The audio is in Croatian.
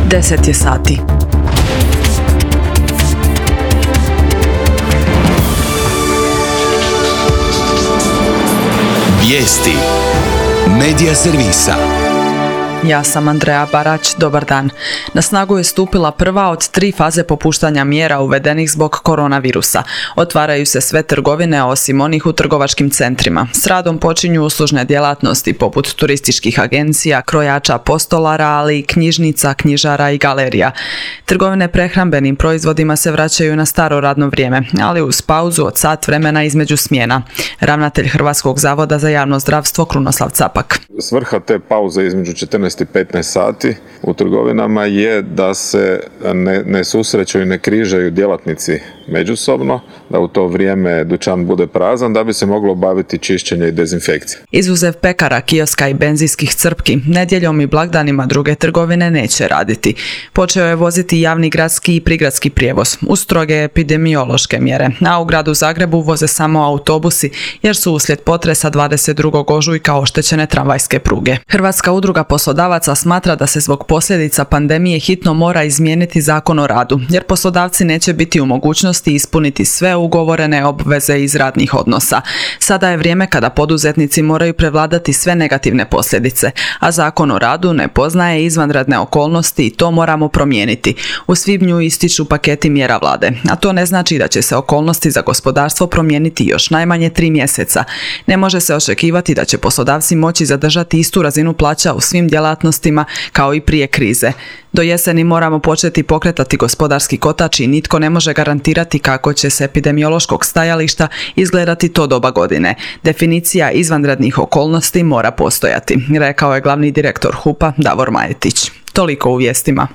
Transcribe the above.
10 je sati. Vijesti Medija servisa. Ja sam Andreja Barać, dobar dan. Na snagu je stupila prva od 3 faze popuštanja mjera uvedenih zbog koronavirusa. Otvaraju se sve trgovine osim onih u trgovačkim centrima. S radom počinju uslužne djelatnosti poput turističkih agencija, krojača, postolara, ali i knjižnica, knjižara i galerija. Trgovine prehrambenim proizvodima se vraćaju na staro radno vrijeme, ali uz pauzu od sat vremena između smjena. Ravnatelj Hrvatskog zavoda za javno zdravstvo Krunoslav Capak. Svrha te pauze između 14 i 15 sati u trgovinama je da se ne susreću i ne križaju djelatnici međusobno, da u to vrijeme dućan bude prazan, da bi se moglo obaviti čišćenje i dezinfekcija. Izuzev pekara, kioska i benzinskih crpki, nedjeljom i blagdanima druge trgovine neće raditi. Počeo je voziti javni gradski i prigradski prijevoz uz stroge epidemiološke mjere, a u gradu Zagrebu voze samo autobusi jer su uslijed potresa 22. ožujka oštećene tramvajske pruge. Hrvatska udruga poslodavaca smatra da se zbog posljedica pandemije hitno mora izmijeniti Zakon o radu, jer poslodavci neće biti u mogućnosti ispuniti sve ugovorene obveze iz radnih odnosa. Sada je vrijeme kada poduzetnici moraju prevladati sve negativne posljedice, a Zakon o radu ne poznaje izvanredne okolnosti i to moramo promijeniti. U svibnju ističu paketi mjera vlade, a to ne znači da će se okolnosti za gospodarstvo promijeniti još najmanje 3 mjeseca. Ne može se očekivati da će poslodavci moći zadržati istu razinu plaća u svim djelatnostima kao i prije krize. Do jeseni moramo početi pokretati gospodarski kotač i nitko ne može garantirati kako će s epidemiološkog stajališta izgledati to doba godine. Definicija izvanrednih okolnosti mora postojati, rekao je glavni direktor HUP-a Davor Majetić. Toliko u vijestima.